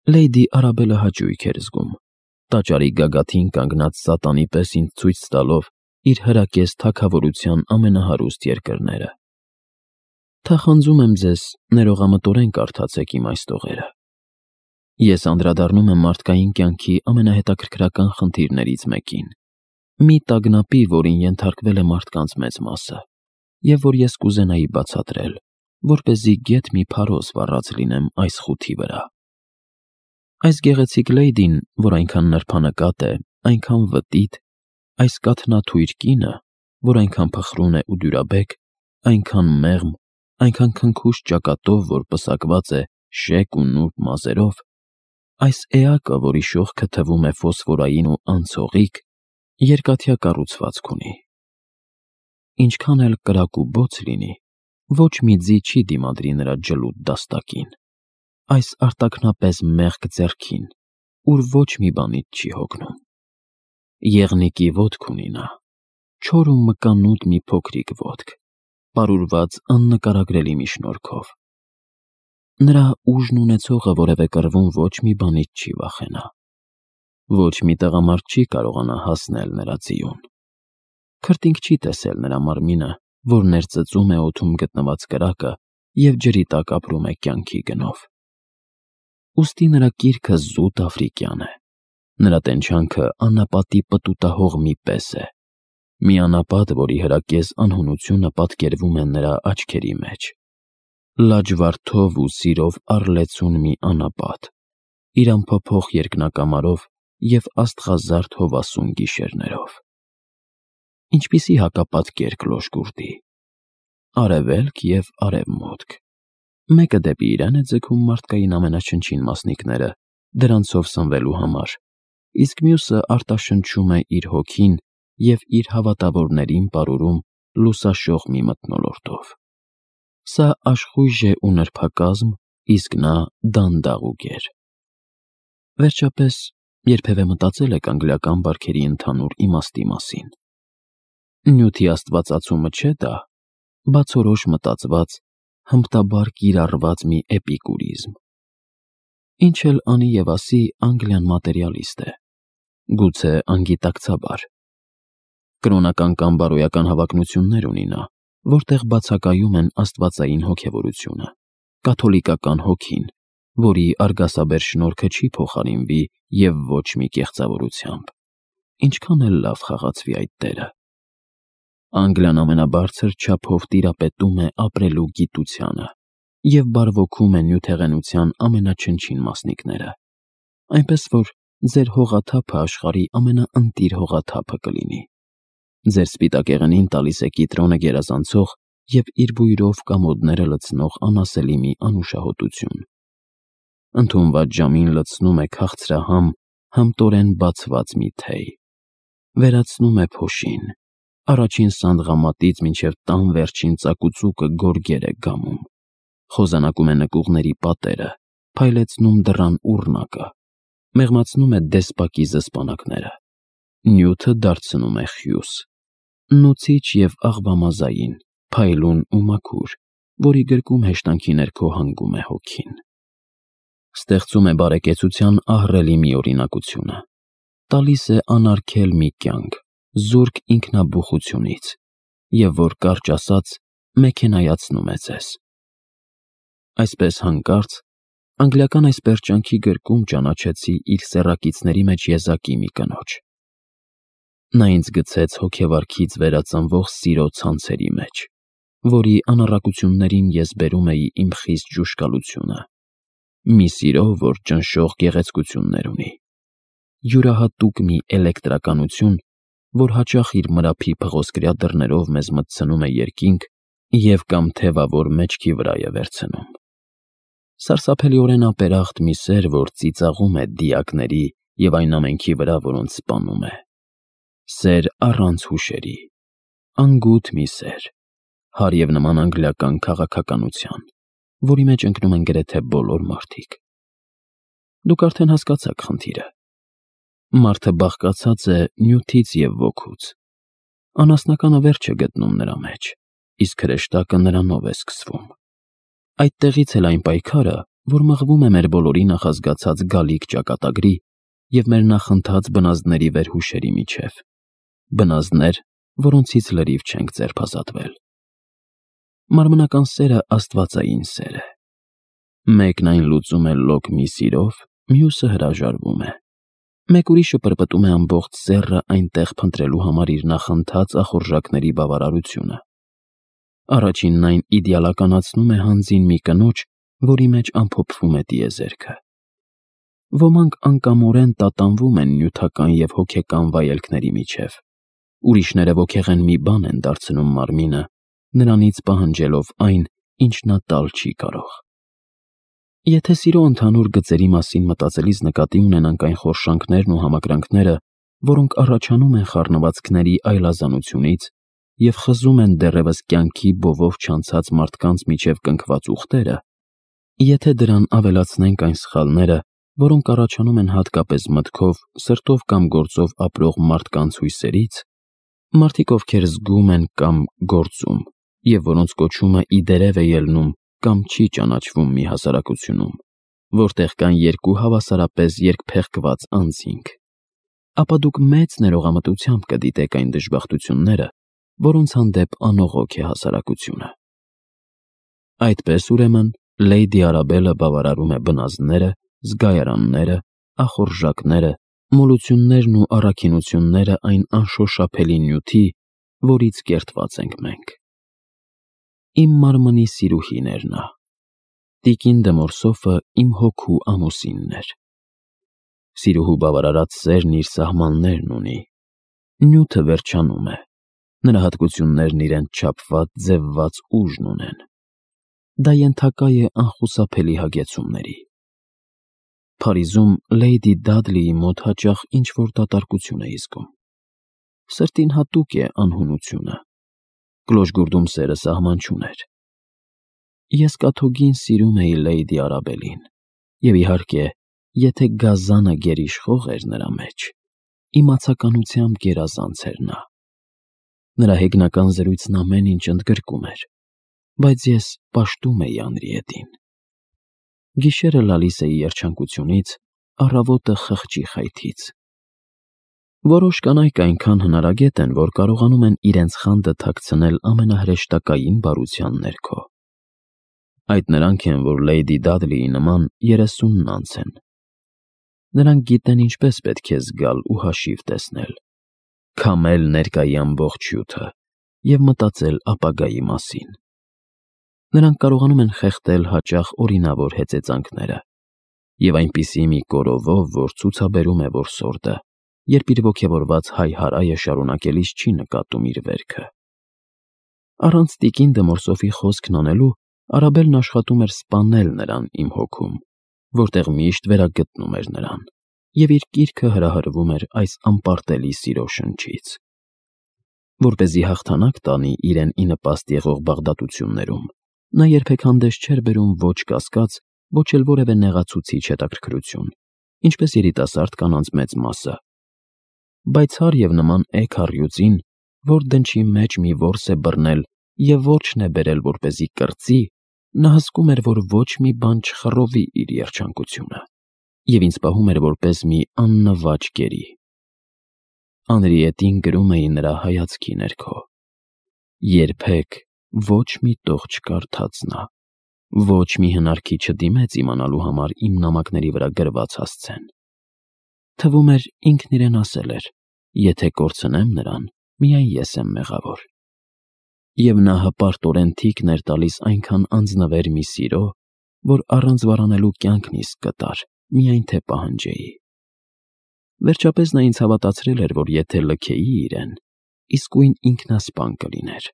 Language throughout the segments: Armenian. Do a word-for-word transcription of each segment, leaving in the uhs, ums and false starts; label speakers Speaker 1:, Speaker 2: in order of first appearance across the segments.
Speaker 1: Լեյդի Արաբելը հաճույք էր զգում, տաճարի գագաթին կանգնած սատանի պես ինձ ցույց տալով իր հրակես թագավորության ամենահարուստ երկրները։ Թախանձում եմ ձեզ, ներողամտորեն կարդացեք իմ այս տողերը։ Ես անդրադառնում եմ մարդկային կյանքի ամենահետաքրքրական խնդիրներից մեկին, մի տագնապի, որին ենթարկվել է մարդկանց մեծ մասը, և որ ես կուզենայի բացատրել, որպեսզի գեթ մի փարոս վառած լինեմ այս խութի վրա։ Այս գեղեցիկ լեյդին, որ այնքան նրբանկատ է, այնքան վտիտ, այս կաթնաթույր կինը, որ այնքան փխրուն է ու դյուրաբեկ, այնքան մեղմ, այնքան քնքուշ ճակատով, որ պսակված է շեկ ու նուրբ մազերով, այս էակը, որի շողքը թվում է ֆոսֆորային ու անցողիկ, երկաթյա կառուցվածք ունի։ Ինչքան էլ կրակ ու բոց լինի, ոչ մի ձի չի դիմադրի նրա ջլուտ դաստակին, այս արտաքնապես մեղք ձեռքին, ուր ոչ մի բանից չի հոգնում։ Եղնիկի ոտք ունի նա, չոր ու մկանուտ մի փոքրիկ ոտք, պարուրված աննկարագրելի մի շնորհքով։ Նրա ուժն ունեցողը որևէ կռվում ոչ մի բանից չի վախենա։ Ոչ մի տղամարդ չի կարողանա հասնել նրա ձիուն։ Քրտինք չի տեսել նրա մարմինը, որ ներծծում է օդում գտնված կրակը և ջրի տակ ապրում է կյանքի գնով։ Ուստի նրա կիրքը զուտ աֆրիկյան է, նրա տենչանքը անապատի պտուտահող մի պես է, մի անապատ, որի հրակես անհունությունը պատկերվում է նրա աչքերի մեջ, լաջվարդով ու սիրով առլեցուն մի անապատ, իր անփոփոխ երկնակամարով և աստղազարդ հովասուն գիշերներով։ Ինչպիսի հակապատկեր Կլոշկուրտի, արևելք և արևմուտք, մեկը դեպի իրեն է ձգում մարդկային ամենաչնչին մասնիկները դրանցով սնվելու համար, իսկ մյուսը արտաշնչում է իր հոգին և իր հավատավորներին պարուրում լուսաշող մի մթնոլորտով։ Սա աշխույժ է ու նրբակազմ, իսկ նա դանդաղ ու գեր։ Վերջապես, երբևէ մտածել եք անգլիական բարքերի ընդհանուր իմաստի մասին։ Նյութի աստվածացումը չէ՞ դա, բացորոշ մտածված, հմտաբար կիրառված մի էպիկուրիզմ։ Ինչ էլ անի և ասի, Անգլիան մատերիալիստ է, գուցե անգիտակցաբար։ Կրոնական կամ բարոյական հավակնություններ ունի նա, որտեղ բացակայում են աստվածային հոգևորությունը, կաթոլիկական հոգին, որի արգասաբեր շնորհքը չի փոխարինվի և ոչ մի կեղծավորությամբ, ինչքան էլ լավ խաղացվի այդ տերը։ Անգլիան ամենաբարձր չափով տիրապետում է ապրելու գիտությանը և բարվոքում է նյութեղենության ամենաչնչին մասնիկները, այնպես որ ձեր հողաթափը աշխարհի ամենաընտիր հողաթափը կլինի։ Ձեր սպիտակեղենին տալիս է կիտրոնը գերազանցող և իր բույրով կամոդները լցնող անասելի մի անուշահոտություն։ Ընդունված ժամին լցնում է քաղցրահամ, համտորեն բացված մի թեյ, վերացնում է փոշին, առաջին սանդղամատից մինչև տան վերջին ծակուծուկը գորգեր է գամում, խոզանակում է նկուղների պատերը, փայլեցնում դռան ուռնակը, մեղմացնում է դեսպակի զսպանակները, նյութը դարձնում է խյուս, նուցիչ և աղվամազային, փայլուն ու մաքուր, որի գրկում հեշտանքի ներքո հանգում է հոգին։ Ստեղծում է բարեկեցության ահռելի մի օրինակությունը, տալիս է անարգել մի կյանք, զուրկ ինքնաբուխությունից, և որ կարճ ասած, մեքենայացնում է ձեզ։ Այսպես հանկարծ, անգլիական այս պերճանքի գրկում ճանաչեցի իր սեռակիցների մեջ եզակի մի կնոջ։ Նա ինձ գցեց հոգեվարքից վերածնվող սիրո ցանցերի մեջ, որի անառակություններին ես բերում էի իմ խիստ ջուշկալությունը, մի սիրո, որ ճնշող գեղեցկություններ ունի, յուրահատուկ մի էլեկտրականություն, որ հաճախ իր մրափի փղոսկրյա դռներով մեզ մտցնում է երկինք և կամ թևավոր մեջքի վրա է վերցնում։ Սարսափելիորեն ապերախտ մի սեր, որ ծիծաղում է դիակների և այն ամենքի վրա, որոնց սպանում է։ Սեր առանց հուշերի, անգութ մի սեր, հարև նման անգլիական քաղաքականության, որի մեջ ընկնում են գրեթե բոլոր մարդիկ։ Դուք արդեն հասկացաք խնդիրը։ Մարդը բաղկացած է նյութից և ոգուց։ Անասնականը վերջ է գտնում նրա մեջ, իսկ հրեշտակը նրանով է սկսվում։ Այդտեղից էլ այն պայքարը, որ մղվում է մեր բոլորի նախազգացած գալիք ճակատագրի և մեր նախընթաց բնազդների վերհուշերի միջև, բնազդներ, որոնցից լրիվ չենք ձերբազատվել։ Մարմնական սերը աստվածային սեր է։ Մեկն այն լուծում է լոկ մի սիրով, մյուսը հրաժարվում է։ Մեկ ուրիշը պրպտում է ամբողջ սեռը այնտեղ փնտրելու համար իր նախընթաց ախորժակների բավարարությունը։ Առաջինն այն իդեալականացնում է հանձին մի կնոջ, որի մեջ ամփոփվում է տիեզերքը։ Ոմանք անկամորեն տատանվում են նյութական և հոգեկան վայելքների միջև, ուրիշները ոգեղեն մի բան են դարձնում մարմինը, նրանից պահանջելով այն, ինչ նա տալ չի կարող։ Եթե սիրո ընդհանուր գծերի մասին մտածելիս նկատի ունենանք այն խորշանքներն ու համակրանքները, որոնք առաջանում են խառնվածքների այլազանությունից և խզում են դեռևս կյանքի բովով չանցած մարդկանց միջև կնքված ուղտերը, եթե դրան ավելացնենք այն սխալները, որոնք առաջանում են հատկապես մտքով, սրտով կամ գործով ապրող մարդկանց հույսերից, մարդիկ, ովքեր զգում են կամ գործում, և որոնց կոչումը ի դերև է ելնում կամ չի ճանաչվում մի հասարակությունում, որտեղ կան երկու հավասարապես երկփեղկված անձինք, ապա դուք մեծ ներողամտությամբ կդիտեք այն դժբախտությունները, որոնց հանդեպ անողոք է հասարակությունը։ Այդպես, ուրեմն, Լեյդի Արաբելը բավարարում է բնազդները, զգայարանները, ախորժակները, մոլություններն ու առաքինությունները այն անշոշափելի նյութի, որից կերտված ենք մենք։ Իմ մարմնի սիրուհին էր նա։ Տիկին դե Մորսոֆը իմ հոգու ամուսինն էր։ Սիրուհու բավարարած սերն իր սահմաններն ունի։ Նյութը վերջանում է։ Նրա հատկություններն իրենց չափված, ձևված ուժն ունեն։ Դա ենթակա է անխուսափելի հագեցումների։ Փարիզում Լեյդի Դադլիի մոտ հաճախ ինչ-որ դատարկություն էի զգում։ Սրտին հատուկ է անհունությունը։ Կլոժգուրդում սերը սահման չուներ։ Ես կաթոգին սիրում էի Լեյդի Արաբելին, և իհարկե, եթե գազանը գերիշխող էր նրա մեջ, իմացականությամբ գերազանց էր նա։ Նրա հեգնական զրույցն ամեն ինչ ընդգրկում էր, բայց ես պաշտում էի Անրիետին։ Գիշերը լալիս էի երջանկությունից, առավոտը խղճի խայթից։ Որոշ կանայք այնքան հնարագետ են, որ կարողանում են իրենց խանդը թաքցնել ամենահրեշտակային բարության ներքո։ Այդ նրանք են, որ Լեյդի Դադլիի նման երեսունն անց են։ Նրանք գիտեն ինչպես պետք է զգալ ու հաշիվ տեսնել, քամել ներկայի ամբողջ հյութը և մտածել ապագայի մասին։ Նրանք կարողանում են խեղդել հաճախ օրինավոր հեծեծանքները և այնպիսի մի կորովով, որ ցուցաբերում է որսորդը, երբ իր ոգևորված հայ-հարայը շարունակելիս չի նկատում իր վերքը։ Առանց տիկին դե Մորսոֆի խոսքն անելու, Արաբելն աշխատում էր սպանել նրան իմ հոգում, որտեղ միշտ վերագտնում էր նրան, և իր կիրքը հրահրվում էր այս անպարտելի սիրո շնչից։ Որպեսզի հաղթանակ տանի իրեն ի նպաստ եղող բաղդատություններում, նա երբեք հանդես չէր բերում ոչ կասկած, ոչ էլ որևէ նեղացուցիչ հետաքրքրություն, ինչպես երիտասարդ կանանց մեծ մասը։ Պայծառ և նման էգ առյուծին, որ դնչի մեջ մի որս է բռնել և որջն է բերել, որպեսզի կրծի, նա հսկում էր, որ ոչ մի բան չխռովի իր երջանկությունը, և ինձ պահում էր որպես մի աննվաճ կերի։ Անրիետին գրում էի նրա հայացքի ներքո. երբեք ոչ մի տող չկարդաց նա, ոչ մի հնարքի չդիմեց իմանալու համար իմ նամակների վրա գրված հասցեն։ Թվում էր ինքն իրեն ասել էր. եթե կորցնեմ նրան, միայն ես եմ մեղավոր։ Եվ նա հպարտորեն թիքն էր տալիս այնքան անձնվեր մի սիրո, որ առանց վարանելու կյանքն իսկ կտար, միայն թե պահանջեի։ Վերջապես նա ինձ հավատացրել էր, որ եթե լքեի իրեն, իսկույն ինքնասպան կլիներ։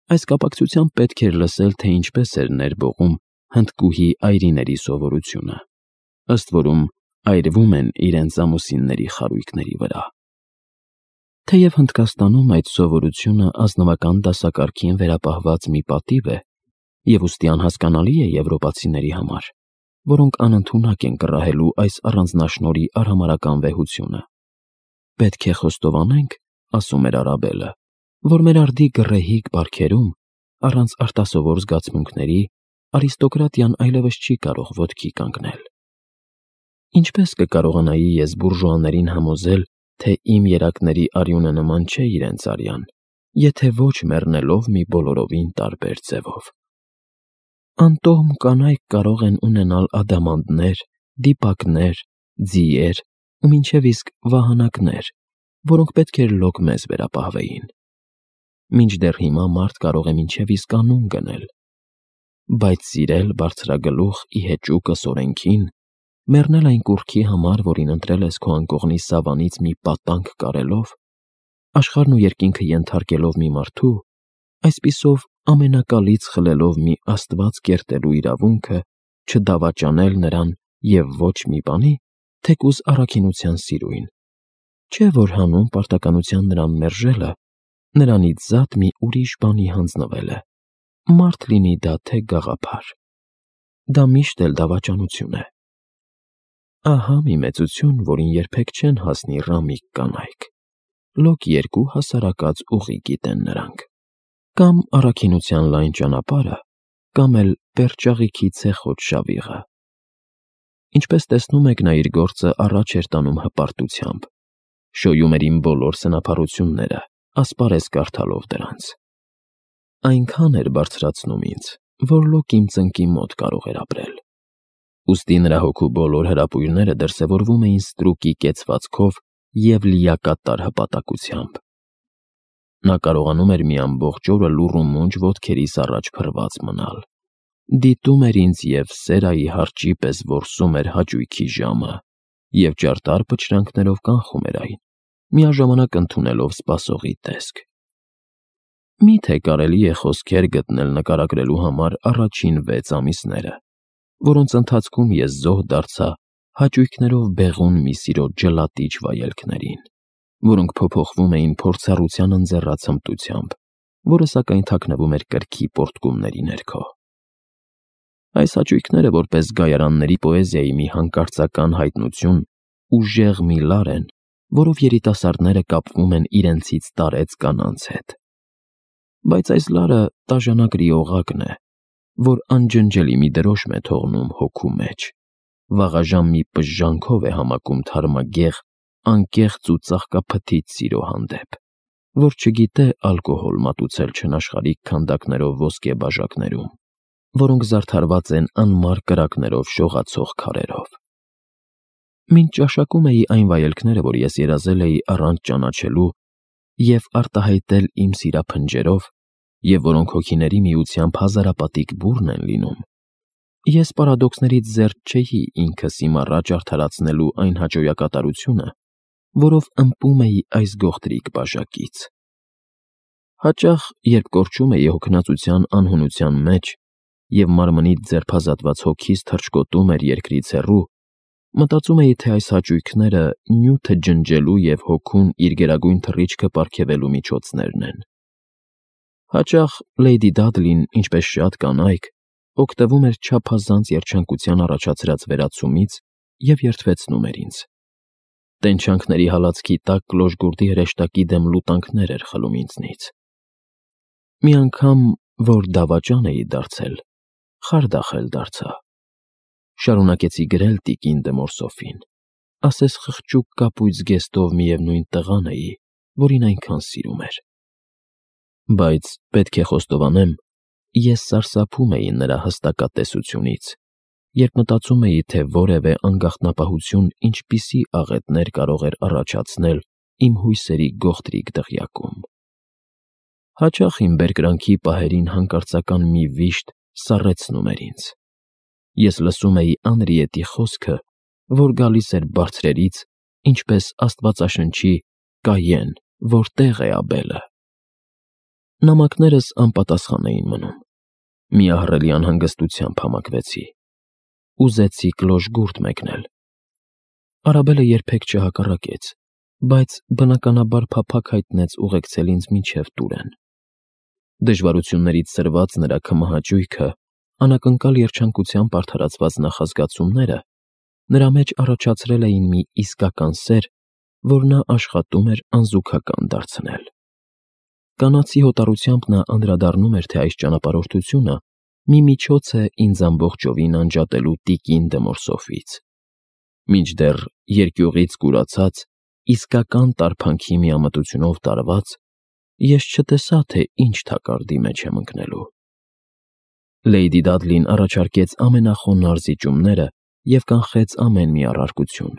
Speaker 1: Այս կապակցությամբ պետք էր լսել, թե ինչպես էր ներբողում հնդկուհի այրիների սովորությունը, ըստ որում այրվում են իրենց ամուսինների խարույկների վրա։ Թեև Հնդկաստանում այդ սովորությունը ազնվական դասակարգին վերապահված մի պատիվ է և ուստի անհասկանալի է եվրոպացիների համար, որոնք անընդունակ են կռահելու այս առանձնաշնորհի արհամարհական վեհությունը։ Պետք է խոստովանենք, ասում էր Արաբելը, որ մեր արդի գռեհիկ բարքերում, առանց արտասովոր զգացմունքների, արիստոկրատիան այլևս չի կարող ոտքի կանգնել։ Ինչպես կկարողանայի ես բուրժուաներին համոզել, թե իմ երակների արյունը նման չէ իրենց արյան, եթե ոչ մեռնելով մի բոլորովին տարբեր ձևով։ Անտոհմ կանայք կարող են ունենալ ադամանդներ, դիպակներ, ձիեր ու մինչև իսկ վահանակներ, որոնք պետք էր լոկ մեզ վերապահվեին։ Մինչդեռ հիմա մարդ կարող է մինչև իսկ անուն գնել, բայց սիրել բարձրագլուխ ի հեճուկը Սորենքին, մեռնել այն կուռքի համար, որին ընտրել ես քո անկողնի սավանից մի պատանկ կարելով, աշխարհն ու երկինքը ենթարկելով մի մարդու, այսպիսով ամենակալից խլելով մի աստված կերտելու իրավունքը, չդավաճանել նրան և ոչ մի բանի, թեկուզ առաքինության սիրույն, չէ՞ որ հանուն պարտականության նրան մերժելը նրանից զատ մի ուրիշ բանի հանձնվել է, մարդ լինի դա թե գաղափար։ Դա միշտ էլ դավաճանություն է։ Ահա մի մեծություն, որին երբեք չեն հասնի ռամիկ կանայք, լոկ երկու հասարակած ուղի գիտեն նրանք, կամ առաքինության լայն ճանապարհը, կամ էլ պերճաղիքի ցեխոտ շավիղը։ Ինչպես տեսնում եք, նա իր գործը առաջ էր տանում հպարտությամբ, շոյում էր իմ բոլոր սնափառությունները, ասպարեզ կարդալով դրանց։ Այնքան էր բարձրացնում ինձ, որ լոկ իմ ծնկի մոտ կարող էր ապրել։ Ուստի նրա հոգու բոլոր հրապույրները դրսևորվում էին ստրուկի կեցվածքով և լիակատար հպատակությամբ։ Նա կարողանում էր մի ամբողջ օրը լուռ ու մունջ ոտքերիս առաջ փռված մնալ, դիտում էր ինձ և սերայի հարճի պես որսում էր հաճույքի ժամը և ճարտար պչրանքներով կանխում էր այն, միաժամանակ ընդունելով սպասողի տեսք։ Մի՞թե կարելի է խոսքեր գտնել նկարագրելու համար առաջին վեց ամիսները, որոնց ընթացքում ես զոհ դարձա հաճույքներով բեղուն մի սիրո ջլատիչ վայելքներին, որոնք փոփոխվում էին փորձառության ընձեռած հմտությամբ, որը սակայն թաքնվում էր կրքի պոռթկումների ներքո։ Այս հաճույքները, որպես գայարանների պոեզիայի մի հանկարծական հայտնություն, ուժեղ մի լար են, որով երիտասարդները կապվում են իրենցից տարեց կանանց հետ։ Բայց այս լարը տաժանակրի օղակն է, որ անջնջելի մի դրոշմ է թողնում հոգու մեջ, վաղաժամ մի պժժանքով է համակում թարմագեղ, անկեղծ ու ծաղկափթիթ սիրո հանդեպ, որ չգիտե ալկոհոլ մատուցել չնաշխարհիկ քանդակներով ոսկե բաժակներում, որոնք զարդարված են անմար կրակներով շողացող քարերով։ Մինչ ճաշակում էի այն վայելքները, որ ես երազել էի առանց ճանաչելու և արտահայտել իմ սիրափնջերով, և որոնք հոգիների միությամբ հազարապատիկ բուռն են լինում, ես պարադոքսներից զերծ չէի ինքս իմ առաջ արդարացնելու այն հաճոյակատարությունը, որով ըմպում էի այս գողտրիկ բաժակից։ Հաճախ, երբ կորչում էի հոգնածության անհունության մեջ և մարմնից ձերբազատված հոգիս թռչկոտում էր երկրից հեռու, մտածում էի, թե այս հաճույքները նյութը ջնջելու և հոգուն իր գերագույն թռիչքը պարգևելու միջոցներն են։ Հաճախ Լեյդի Դադլին, ինչպես շատ կանայք, օգտվում էր չափազանց երջանկության առաջացրած վերացումից և երդվեցնում էր ինձ։ Տենչանքների հալածքի տակ կլոժգուրդի հրեշտակի դեմ լուտանքներ էր խլում ինձնից։ Մի անգամ, որ դավաճան էի դարձել, խարդախել դարձա։ Շարունակեցի գրել տիկին դե Մորսոֆին, ասես խղճուկ կապույտ զգեստով միևնույն տղան էի, որին այնքան սիրում էր։ Բայց, պետք է խոստովանեմ, ես սարսափում էի նրա հստակատեսությունից, երբ մտածում էի, թե որևէ անգաղտնապահություն ինչպիսի աղետներ կարող էր առաջացնել իմ հույսերի գողտրիկ դղյակում։ Հաճախ իմ բերկրանքի պահերին հանկարծական մի վիշտ սառեցնում էր ինձ։ Ես լսում էի Անրիետի խոսքը, որ գալիս էր բարձրերից, ինչպես Աստվածաշնչի «Կայեն, որտե՞ղ է Աբելը»։ Նամակներս անպատասխան էին մնում։ Մի ահռելի անհանգստությամբ համակվեցի։ Ուզեցի կլոժգուրդ մեկնել։ Արաբելը երբեք չհակառակեց, բայց բնականաբար փափագ հայտնեց ուղեկցել ինձ մինչև տուրեն։ Դժվարություններից սրված նրա քմահաճույքը, անակնկալ երջանկությամբ արդարացված նախազգացումները նրա մեջ առաջացրել էին մի իսկական սեր, որ նա աշխատում էր անզուգական դարձնել։ Կանացի հոտառությամբ նա անդրադառնում էր, թե այս ճանապարհորդությունը մի միջոց է ինձ ամբողջովին անջատելու տիկին դմորսոֆից, մինչդեռ երկյուղից կուրացած, իսկական տարփանքի միամտությունով տարված, ես չտեսա, թե ինչ թակարդի մեջ եմ ընկնելու։ Լեյդի Դադլին առաջարկեց ամենախոնարհ զիջումները և կանխեց ամեն մի առարկություն։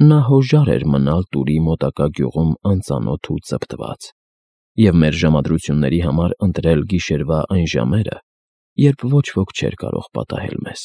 Speaker 1: Նա հոժար էր մնալ Տուրի մոտակա գյուղում անծանոթ ու ծպտված և մեր ժամադրությունների համար ընտրել գիշերվա այն ժամերը, երբ ոչ ոք չէր կարող պատահել մեզ։